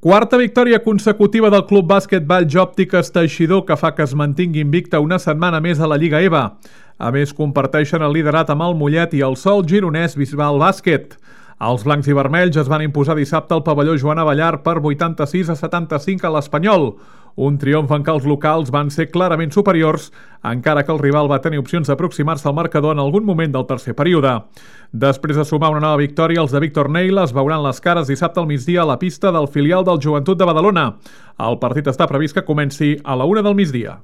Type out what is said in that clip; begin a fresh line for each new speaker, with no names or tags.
Quarta victòria consecutiva del Club Bàsquet Valls Òptiques Teixidor, que fa que es mantingui invicta una setmana més a la Lliga EVA. A més, comparteixen el liderat amb el Mollet i el Sol gironès Bisbal Bàsquet. Els blancs i vermells es van imposar dissabte al pavelló Joan Abellar per 86-75 a l'Espanyol. Un triomf en què els locals van ser clarament superiors, encara que el rival va tenir opcions d'aproximar-se al marcador en algun moment del tercer període. Després de sumar una nova victòria, els de Víctor Neila es veuran les cares dissabte al migdia a la pista del filial del Joventut de Badalona. El partit està previst que comenci a la 1 del migdia.